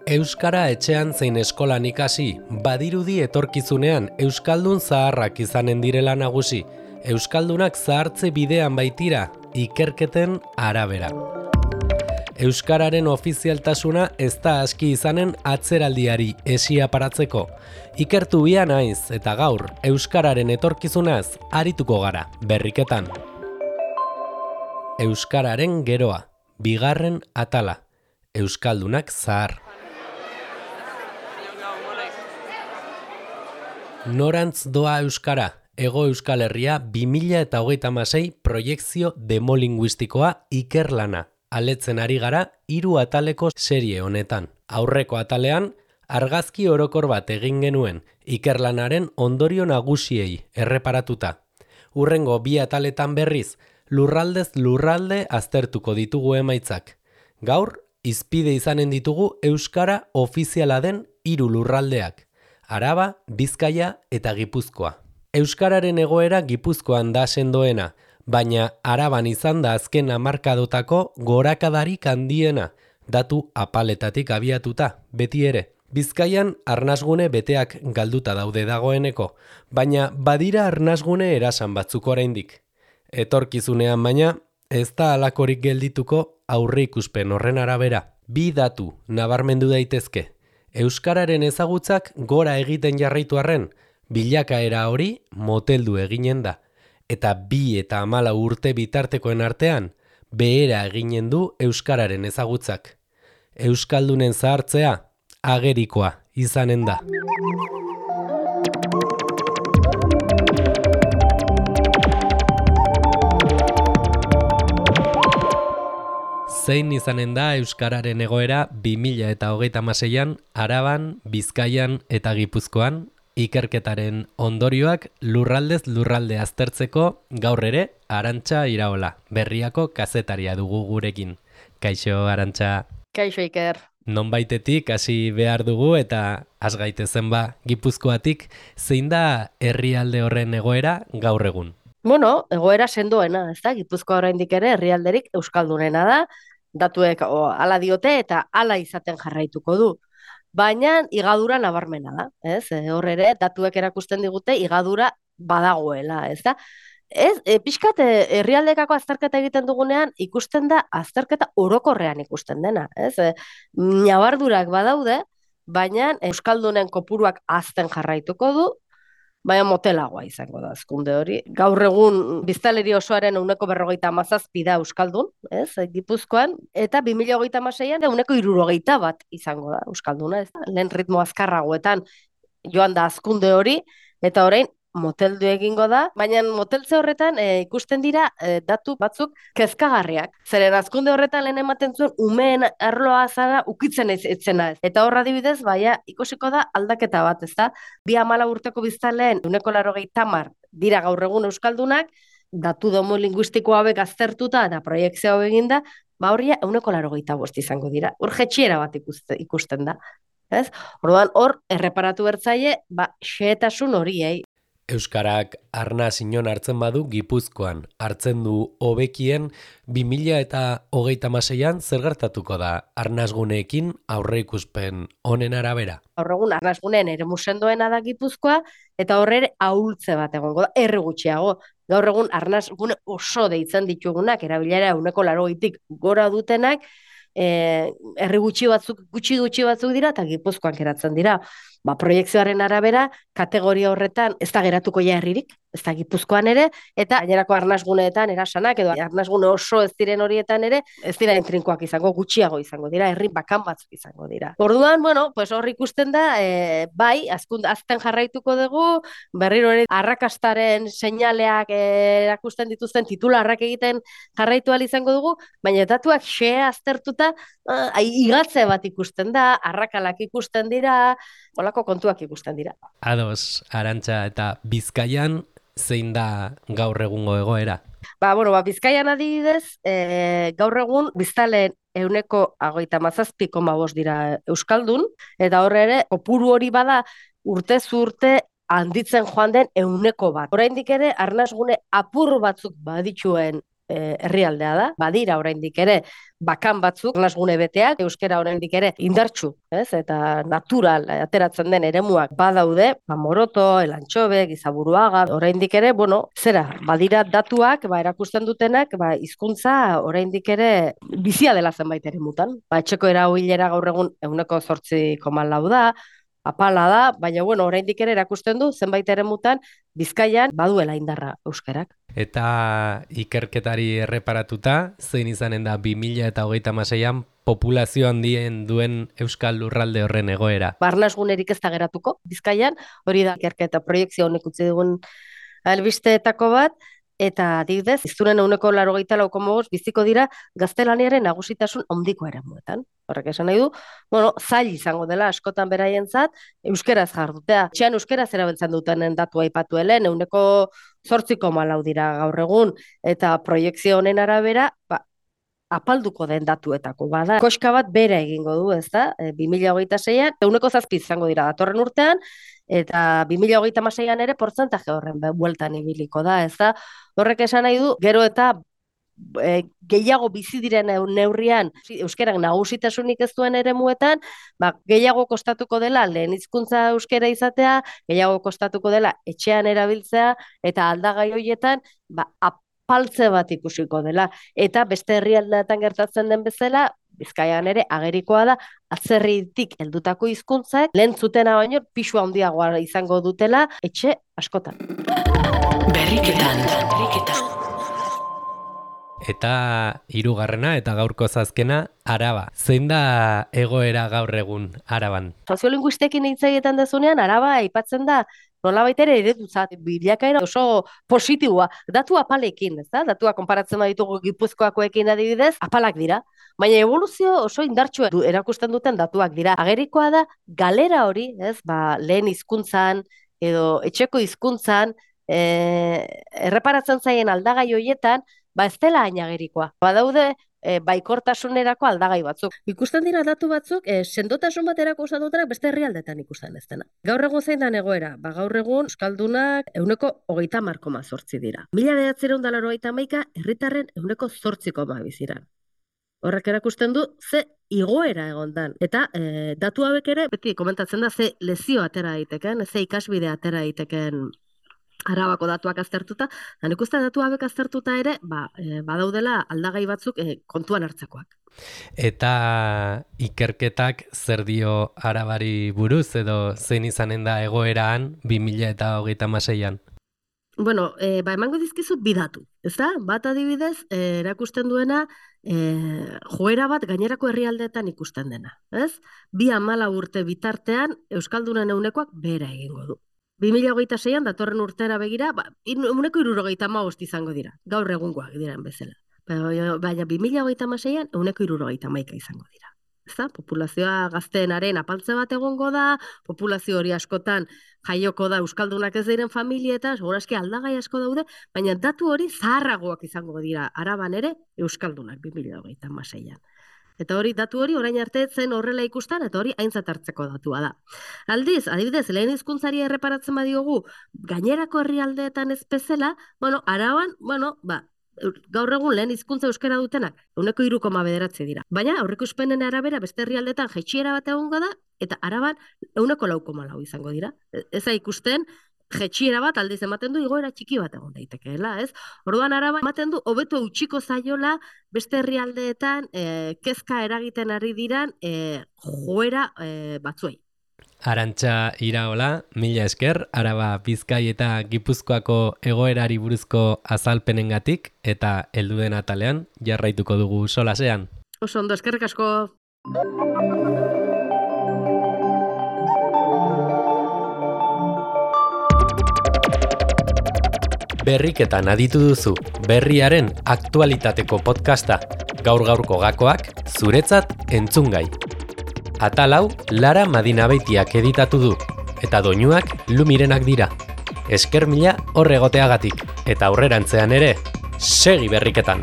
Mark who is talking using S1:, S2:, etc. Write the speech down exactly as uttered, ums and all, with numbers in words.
S1: Euskara etxean zein eskolan ikasi, badirudi etorkizunean euskaldun zaharrak izanen direla nagusi. Euskaldunak zahartze bidean baitira, ikerketen arabera. Euskararen ofizialtasuna ez da aski izanen atzeraldiari esia paratzeko. Ikertu bia naiz eta gaur euskararen etorkizunaz arituko gara berriketan. Euskararen geroa, bigarren atala. Euskaldunak zahar. Norantz doa euskara, Hego Euskal Herria bi mila hogeita hamasei proiekzio demolinguistikoa ikerlana. Aletzen ari gara hiru ataleko serie honetan. Aurreko atalean, argazki orokor bat egin genuen, ikerlanaren ondorio nagusiei erreparatuta. Hurrengo bi ataletan berriz, lurraldez lurralde aztertuko ditugu emaitzak. Gaur, hizpide izanen ditugu euskara ofiziala den hiru lurraldeak. Araba, Bizkaia eta Gipuzkoa. Euskararen egoera Gipuzkoan da sendoena, baina Araban izan da azken hamarkadotako gorakadarik handiena, datu apaletatik abiatuta, beti ere. Bizkaian arnasgune beteak galduta daude dagoeneko, baina badira arnasgune erasan batzuk oraindik. Etorkizunean baina, ez da halakorik geldituko aurre ikuspen horren arabera. Bi datu nabarmendu daitezke. Euskararen ezagutzak gora egiten jarraitu arren, bilakaera hori moteldu eginen da, eta bi eta hamala urte bitartekoen artean, behera eginen du euskararen ezagutzak. Euskaldunen zahartzea, agerikoa izanen da. Zein izanen da euskararen egoera bi mila hogeita hamaseian Araban, Bizkaian eta Gipuzkoan, ikerketaren ondorioak lurraldez lurralde aztertzeko gaur ere Arantxa Iraola, Berriako kazetaria dugu gurekin. Kaixo, Arantxa.
S2: Kaixo, Iker.
S1: Nonbaitetik hasi behar dugu eta has gaitezen ba Gipuzkoatik, zein da herrialde horren egoera gaur egun?
S2: Bueno, egoera sendoena, ez da? Gipuzkoa oraindik ere herrialderik euskaldunena da, datuek o, ala diote eta ala izaten jarraituko du. Baina igadura nabarmena da, ez? E, hor ere datuek erakusten digute igadura badagoela, ez da? Ez, e, pixkat e, herrialdekako azterketa egiten dugunean ikusten da azterketa orokorrean ikusten dena, ez? E, nabardurak badaude, baina euskaldunen kopuruak hazten jarraituko du, baina motelagoa izango da hazkunde hori. Gaur egun biztanleri osoaren ehuneko berrogeita hamazazpi da euskaldun, ez, Gipuzkoan, eta bi mila hogeita hamaseian ehuneko hirurogeita bat izango da euskalduna, ez da? Lehen ritmo azkarragoetan joan da hazkunde hori, eta orain moteldu egingo da, baina moteltze horretan e, ikusten dira e, datu batzuk kezkagarriak. Zeren hazkunde horretan lehen ematen zuen umeen arloa zara ukitzen ez etzena ez. Eta horra adibidez, baina ikusiko da aldaketa bat, ez da? Bi hamala urteko biztanleen ehuneko laurogeita hamar dira gaur egun euskaldunak, datu demolinguistiko hauek aztertuta eta proiekzio hau eginda, ba horria ehuneko laurogeita bost izango dira. Hor jetxiera bat ikuste, ikusten da. Ez? Orduan hor erreparatu bertzaile, ba xehetasun horiei.
S1: Euskarak arnaz inon hartzen badu Gipuzkoan, hartzen du hobekien bi mila hogeita hamaseian zer gertatuko da arnazguneekin aurre ikuspen honen arabera?
S2: Gaur egun arnazguneen eremu sendoena da Gipuzkoa, eta horre ere ahultze bat egongo da, erre gutxiago. Gaur egun arnazgune oso deitzen ditugunak, erabilera ehuneko laurogeitik gora dutenak, eh, herri gutxi batzuk, gutxi gutxi batzuk dira, eta Gipuzkoan geratzen dira. Ba, proiekzioaren arabera, kategoria horretan ez da geratuko ja herririk, ez da Gipuzkoan ere, eta gainerako arnazguneetan erasanak, edo arnazgune oso ez diren horietan ere, ez dira entrinkoak izango, gutxiago izango dira, herri bakan batzuk izango dira. Orduan, bueno, pues hor ikusten da, e, bai, azkund, azten jarraituko dugu, berriro ere arrakastaren seinaleak e, erakusten dituzten titularrak egiten jarraitu ahal izango dugu, baina datuak xea aztertuta, uh, igatze bat ikusten da, arrakalak ikusten dira, olako kontuak ikusten dira.
S1: Ados, Arantxa, eta Bizkaian zein da gaur egungo egoera?
S2: Ba, bueno, ba, Bizkaian adibidez, e, gaur egun biztanleen ehuneko hogeita hamazazpi koma bost dira euskaldun, eta horre ere, kopuru hori bada urtez urte handitzen joan den ehuneko bat. Oraindik ere, arnasgune apur batzuk badituen e, herrialdea da, badira oraindik ere bakan batzuk, lasgune beteak, euskara oraindik ere indartsu, ez? Eta natural ateratzen den eremuak badaude, ba, Moroto, Elantxobe, Gizaburuaga, oraindik ere, bueno, zera, badira datuak, ba, erakusten dutenak, ba, hizkuntza oraindik ere bizia dela zenbait eremutan. Ba, etxeko erabilera gaur egun ehuneko zortzi koma lau da, apala da, baina bueno, oraindik ere erakusten du zenbait eremutan Bizkaian baduela indarra euskarak.
S1: Eta ikerketari erreparatuta, zein izanen da bi mila hogeita hamaseian populazio handien duen euskal lurralde horren egoera?
S2: Barnasgunerik ez da geratuko Bizkaian, hori da ikerketa proiektzio honek utzi dugun albisteetako bat, eta adibidez, iztunen ehuneko laurogeita lau koma bost biziko dira gaztelaniaren nagusitasun handiko eremuetan. Horrek esan nahi du, bueno, zail izango dela askotan beraientzat euskeraz jardutea. Etxean euskeraz erabiltzen dutenen datua aipatu helen, ehuneko zortzi koma lau dira gaur egun, eta proiekzio honen arabera, ba, apalduko den datuetako bada. Koska bat bera egingo du, ez da? E, bi mila hogeita seian, ehuneko zazpi izango dira datorren urtean, eta bi mila hogeita hamaseian ere portzentaje horren bueltan ibiliko da, ez da? Horrek esan nahi du, gero eta e, gehiago bizi diren neurrian euskerak nagusitasunik ez duen eremuetan, ba, gehiago kostatuko dela lehen hizkuntza euskera izatea, gehiago kostatuko dela etxean erabiltzea, eta aldagai horietan, ba, apaltze bat ikusiko dela. Eta beste herrialdeetan gertatzen den bezala, Bizkaian ere agerikoa da, atzerritik heldutako hizkuntzak lehen zutena baino pisu handiagoa izango dutela etxe askotan.
S1: Berriketan, berriketan. Eta hirugarrena eta gaurko zazkena, Araba. Zein da egoera gaur egun Araban?
S2: Soziolinguistekin hitz egiten dezunean, Araba aipatzen da nolabait ere eredutzat, bilakaera oso positiboa, datu apalekin, ez da? Datua konparatzen baditugu Gipuzkoakoekin adibidez, apalak dira. Baina evoluzio oso indartsua du, erakusten duten datuak dira. Agerikoa da galera hori, ez? Ba, lehen hizkuntzan edo etxeko hizkuntzan, e, erreparatzen zaien aldagai horietan, ba ez dela hain agerikoa. Badaude e, baikortasunerako aldagai batzuk. Ikusten dira datu batzuk, e, sendotasun baterako usatutenak beste herrialdetan ikusten ez dena. Gaur egun zein dan egoera? Ba, gaur egun euskaldunak ehuneko hogeita hamar koma zortzi dira. Mila bederatziehun eta laurogeita hamaika herritarren ehuneko zortzi koma biziran. Horrek erakusten du ze igoera egondan. Eta e, datu hauek ere, beti komentatzen da, ze lezio atera daiteken, ze ikasbide atera daiteken Arabako datuak aztertuta, da nik uste datu hauek aztertuta ere, ba, e, badaudela aldagai batzuk e, kontuan hartzekoak.
S1: Eta ikerketak zer dio Arabari buruz edo zein izanen da egoeraan bi mila hogeita hamaseian?
S2: Bueno, e, ba, emango dizkizu bidatu, ez da? Bat adibidez, e, erakusten duena, e, joera bat gainerako herrialdeetan ikusten dena, ez? Bi hamala urte bitartean, euskaldunen eunekoak bera egingo du. bi mila hogeita seian, datorren urtera begira, ba, ehuneko hirurogeita hamabost izango dira, gaur egungoak diren bezala. Baina bi mila hogeita hamaseian, ehuneko hirurogeita hamaika izango dira. Ezta? Populazioa gazteenaren apaltze bat egongo da, populazio hori askotan jaioko da euskaldunak ez diren familietan, segurazki aldagai asko daude, baina datu hori zaharragoak izango dira Araban ere euskaldunak bi mila hogeita hamaseian. Eta hori, datu hori orain arte zen horrela ikusten, eta hori aintzat hartzeko datua da. Aldiz, adibidez, lehen hizkuntzari erreparatzen badiogu, gainerako herrialdeetan ez bezala, bueno, Araban, bueno, ba, gaur egun lehen hizkuntza euskara dutenak, ehuneko hiru koma bederatzi dira. Baina, aurreikuspenen arabera, beste herrialdeetan jaitsiera bat egongo da, eta Araban ehuneko lau koma lau izango dira. Ez da ikusten, jetxiera bat aldiz ematen du igoera txiki bat egon daitekeela, ez? Orduan Araba ematen du hobeto utziko zaiola beste herrialdeetan e, kezka eragiten ari diran e, joera e, batzuei.
S1: Arantxa Iraola, mila esker, Araba, Bizkai eta Gipuzkoako egoerari buruzko azalpenengatik eta heldu den atalean jarraituko dugu solasean.
S2: Oso ondo, eskerrik asko.
S1: Berriketan aditu duzu, berriaren aktualitateko podcasta, gaur-gaurko gakoak, zuretzat entzungai. Atal hau, Lara Madinabeitiak editatu du, eta doinuak Lumirenak dira. Esker mila hor egoteagatik, eta aurrerantzean ere, segi berriketan!